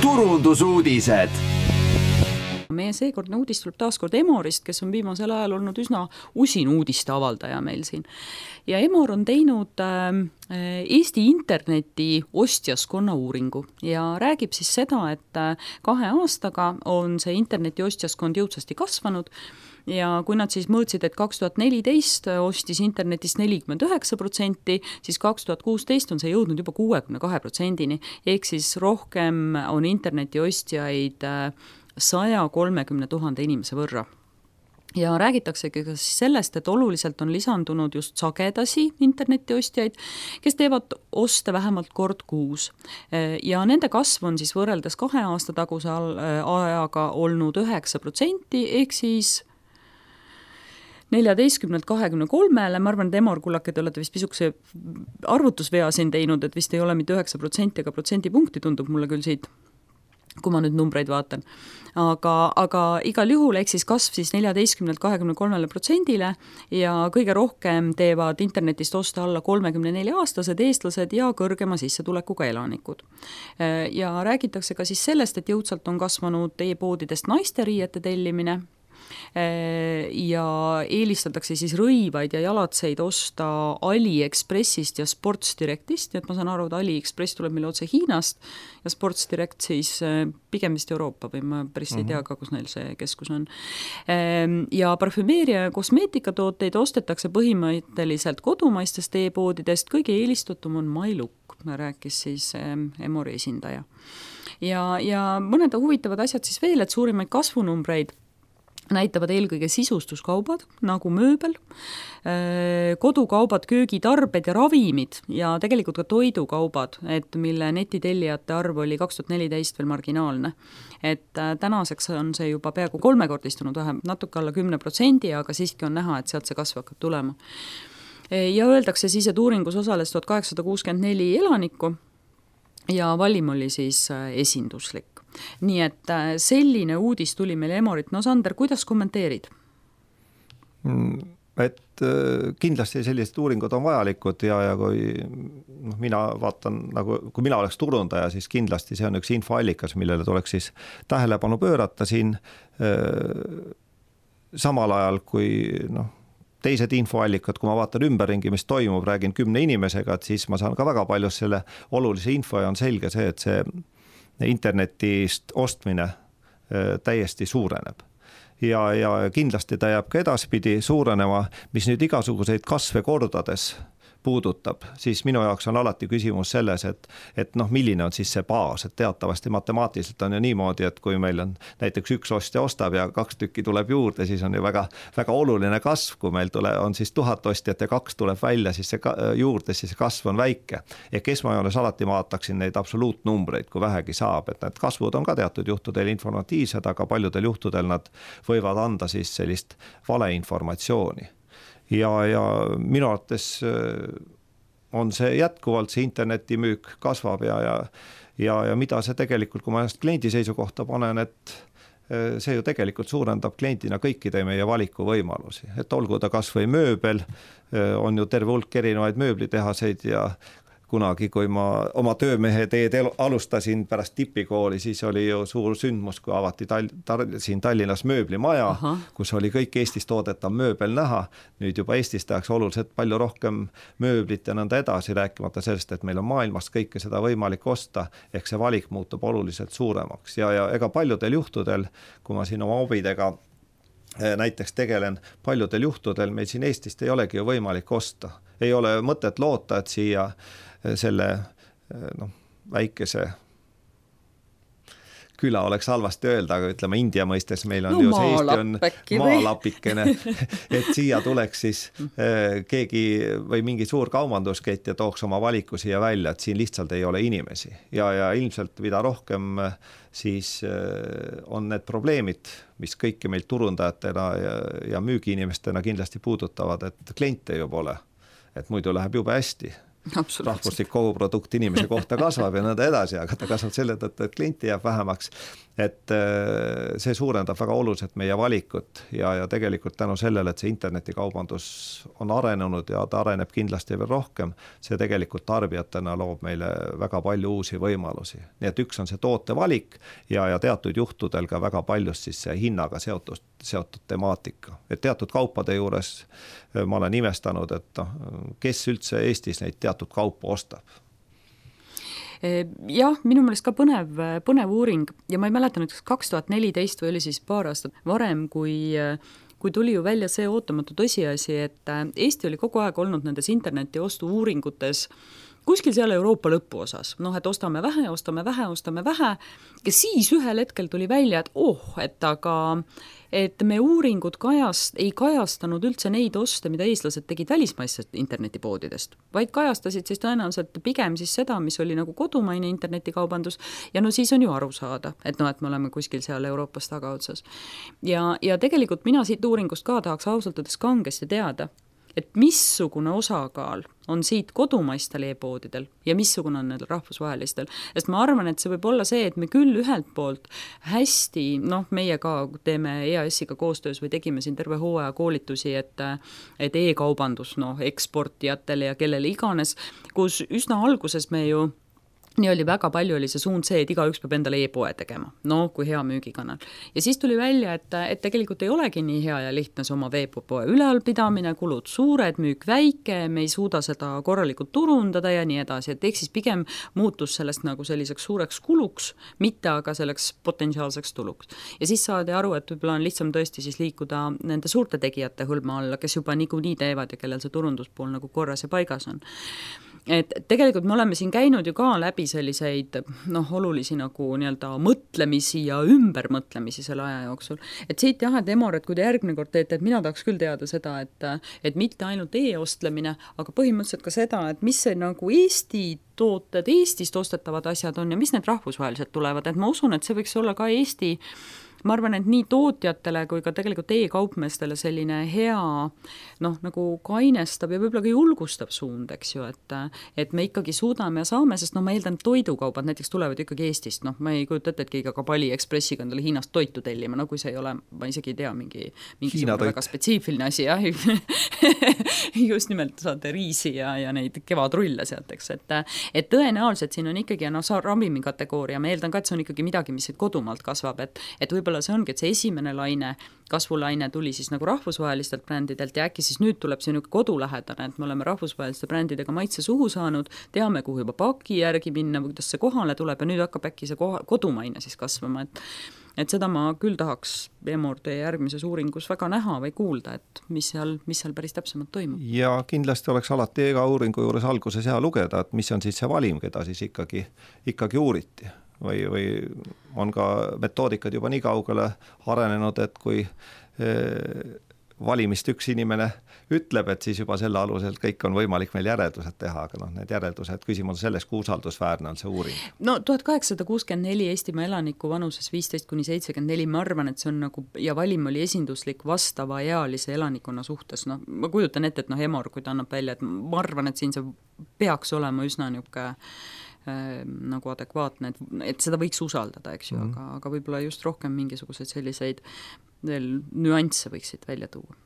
turundusuudised. Meie seekordne uudis tuleb taaskord Emorist, kes on viimasel ajal olnud üsna usin uudiste avaldaja meil siin. Ja Emor on teinud Eesti interneti ostjaskonna uuringu ja räägib siis seda, et 2 aastaga on see interneti ostjaskond jõudsasti kasvanud. Ja kui nad siis mõõtsid, et 2014 ostis internetist 49%, siis 2016 on see jõudnud juba 62%-ni, ehk siis rohkem on interneti ostjaid 130 000 inimese võrra. Ja räägitaksegi ka sellest, et oluliselt on lisandunud just sagedasi internetiostjaid, kes teevad oste vähemalt kord kuus. Ja nende kasv on siis võrreldes 2 aasta taguse ajaga olnud 9%, ehk siis 14-23-le, ma arvan, et Emor Kullake, te olete vist pisukese arvutusvea siin teinud, et vist ei ole mitte 9%, aga protsendipunkti tundub mulle küll siit, kui ma nüüd numbreid vaatan. Aga igal juhul ehk siis kasv siis 14-23%-le ja kõige rohkem teevad internetist osta alla 34-aastased eestlased ja kõrgema sissetulekuga elanikud. Ja räägitakse ka siis sellest, et jõudsalt on kasvanud e-poodidest naisteriiete tellimine, ja eelistatakse siis rõivaid ja jalatseid osta AliExpressist ja Sports Directist, et ma saan aru, et AliExpress tuleb meil otse Hiinast ja Sports Direct siis pigem vist Euroopa või ma päris ei tea ka, kus neil see keskus on. Ja parfümeeria ja kosmeetikatooteid ostetakse põhimõtteliselt kodumaistest e-poodidest, kõige eelistatum on MyLook, rääkis siis Emori esindaja. Ja mõned huvitavad asjad siis veel, et suurimaid kasvunumbreid näitavad eelkõige sisustuskaubad, nagu mööbel, kodukaubad, köögitarbed ja ravimid ja tegelikult ka toidukaubad, et mille netitellijate arv oli 2014 veel marginaalne. Et tänaseks on see juba peaaegu 3-kordistunud, natuke alla 10%, aga siiski on näha, et sealt see kasv hakkab tulema. Ja öeldakse siis, et uuringus osales 1864 elanikku ja valim oli siis esinduslik. Nii et selline uudis tuli meil Emorit. No Sander, kuidas kommenteerid? Et kindlasti sellised uuringud on vajalikud ja kui mina vaatan, nagu, kui mina oleks turundaja, siis kindlasti see on üks infoallikas, millele tuleks siis tähelepanu pöörata siin samal ajal, kui teised infoallikad, kui ma vaatan ümberringi, mis toimub, räägin 10 inimesega, et siis ma saan ka väga palju selle olulise info ja on selge see, et see internetist ostmine täiesti suureneb. Ja kindlasti ta jääb ka edaspidi suurenema, mis nüüd igasuguseid kasve kordades puudutab, siis minu jaoks on alati küsimus selles, et milline on siis see baas, et teatavasti matemaatiliselt on ju niimoodi, et kui meil on näiteks 1 ostja ostab ja 2 tükki tuleb juurde, siis on ju väga, väga oluline kasv, kui meil on siis 1000 ostjat ja 2 tuleb välja, siis see juurde, siis see kasv on väike. Ehk esmajoones alati vaataksin neid absoluutnumbreid, kui vähegi saab, et need kasvud on ka teatud juhtudel informatiivsed, aga paljudel juhtudel nad võivad anda siis sellist valeinformatsiooni. Ja minu arvates on see jätkuvalt, see internetimüük kasvab ja mida see tegelikult, kui ma ennast kliendi seisukohta panen, et see ju tegelikult suurendab kliendina kõikide meie valikuvõimalusi. Et olgu ta kas või mööbel, on ju terve hulk erinevaid mööblitehaseid ja kunagi, kui ma oma töömehe teed alustasin pärast tipikooli, siis oli ju suur sündmus, kui avati siin Tallinnas mööblimaja, kus oli kõik Eestis toodetav mööbel näha. Nüüd juba Eestis tehakse oluliselt palju rohkem mööblit ja nõnda edasi, rääkimata sellest, et meil on maailmast kõike seda võimalik osta, ehk see valik muutub oluliselt suuremaks. Ja ega paljudel juhtudel, kui ma siin oma hobidega näiteks tegelen, paljudel juhtudel meil siin Eestist ei olegi ju võimalik osta. Ei ole mõtet loota, et siia selle väikese küla oleks halvasti öelda, aga ütleme India mõistes meil on ju see Eesti on maalapikene, et siia tuleks siis keegi või mingi suur kaubanduskett ja tooks oma valiku siia välja, et siin lihtsalt ei ole inimesi. Ja ilmselt mida rohkem siis on need probleemid, mis kõiki meil turundajatena ja müügiinimestena kindlasti puudutavad, et kliente ju pole, et muidu läheb jube hästi. rahvuslik koguprodukt inimese kohta kasvab ja nõnda edasi, aga ta kasvab selle tõttu, et klienti jääb vähemaks. Et see suurendab väga oluliselt meie valikut ja tegelikult tänu sellele, et see internetikaubandus on arenenud ja ta areneb kindlasti veel rohkem, see tegelikult tarbijatena loob meile väga palju uusi võimalusi. Nii et üks on see tootevalik ja teatud juhtudel ka väga paljust siis see hinnaga seotud temaatika. Et teatud kaupade juures ma olen imestanud, et kes üldse Eestis neid teatud kaupa ostab. Jah, minu meelest ka põnev uuring ja ma ei mäleta nüüd 2014 või oli siis paar aastat varem, kui tuli ju välja see ootamatu tõsiasi, et Eesti oli kogu aeg olnud nendes interneti ostu uuringutes kuskil seal Euroopa lõpu osas, et ostame vähe ja siis ühel hetkel tuli välja, et me uuringud ei kajastanud üldse neid oste, mida eestlased tegid välismaistest internetipoodidest, vaid kajastasid siis tõenäoliselt pigem siis seda, mis oli nagu kodumaine internetikaubandus ja siis on ju aru saada, et me oleme kuskil seal Euroopas tagaotsas. Ja tegelikult mina siit uuringust ka tahaks ausalt öeldes kangesti teada, et missugune osakaal on siit kodumaistel e-poodidel ja missugune on need rahvusvahelistel. Sest ma arvan, et see võib olla see, et me küll ühelt poolt hästi, meie ka teeme EAS-iga koostöös või tegime siin terve hooaja koolitusi, et e-kaubandus eksportijatele ja kellele iganes, kus üsna alguses me ju nii oli väga palju oli see suund see, et igaüks peab endale e-poe tegema, kui hea müügikanal. Ja siis tuli välja, et tegelikult ei olegi nii hea ja lihtne see oma veepoe ülealpidamine, kulud suured, müük väike, me ei suuda seda korralikult turundada ja nii edasi, et eks siis pigem muutus sellest nagu selliseks suureks kuluks, mitte aga selleks potentsiaalseks tuluks. Ja siis saadi aru, et võib-olla on lihtsam tõesti siis liikuda nende suurte tegijate hõlma alla, kes juba niikuinii teevad ja kellel see turunduspool nagu korras ja paigas on. Et tegelikult me oleme siin käinud ju ka läbi selliseid olulisi nagu nii-öelda mõtlemisi ja ümbermõtlemisi selle aja jooksul. Et siit jah, et Emor, et kui te järgmine kord teete, et mina tahaks küll teada seda, et mitte ainult e-ostlemine, aga põhimõtteliselt ka seda, et mis see nagu Eesti tooted, Eestist ostetavad asjad on ja mis need rahvusvaheliselt tulevad, et ma usun, et see võiks olla ka Eesti, ma arvan, et nii tootjatele kui ka tegelikult e-kaupmeestele selline hea nagu kainestav ja võib-olla ka julgustav suund, eks ju, et me ikkagi suudame ja saame, sest ma eeldan, toidukaubad näiteks tulevad ikkagi Eestist, ma ei kujuta ette, et keegi ka Pali Ekspressiga endale Hiinast toitu tellima, kui see ei ole, ma isegi ei tea, mingisugune väga spetsiifiline asi, jah, just nimelt saate riisi ja neid kevadrulle sealt, eks, et tõenäoliselt siin on ikkagi ravimi kategooria, ma eeldan ka, et see on ikkagi midagi, mis kodumaalt kasvab, et võib-olla see ongi, et see esimene kasvulaine tuli siis nagu rahvusvahelistelt brändidelt ja äkki siis nüüd tuleb see kodulähedane, et me oleme rahvusvaheliste brändidega maitse suhu saanud, teame, kuhu juba paki järgi minna, kuidas see kohale tuleb ja nüüd hakkab äkki see kodumaine siis kasvama, et seda ma küll tahaks Emor teie järgmises uuringus väga näha või kuulda, et mis seal päris täpsemalt toimub. Ja kindlasti oleks alati ega uuringu juures alguses hea lugeda, et mis on siis see valim, keda siis ikkagi uuriti. Või on ka metoodikad juba nii kaugele arenenud, et kui valimist üks inimene ütleb, et siis juba selle alusel kõik on võimalik meil järeldused teha, aga need järeldused, küsimus on selles, kui usaldusväärne on see uuring. 1864 Eestimaa elaniku vanuses 15–74, ma arvan, et see on nagu, ja valim oli esinduslik vastava ealise elanikkonna suhtes, ma kujutan ette, et Emor, kui ta annab välja, et ma arvan, et siin see peaks olema üsna niisugune nagu adekvaatne, et seda võiks usaldada, eks ju, aga võib-olla just rohkem mingisuguseid selliseid veel nüansse võiksid välja tuua.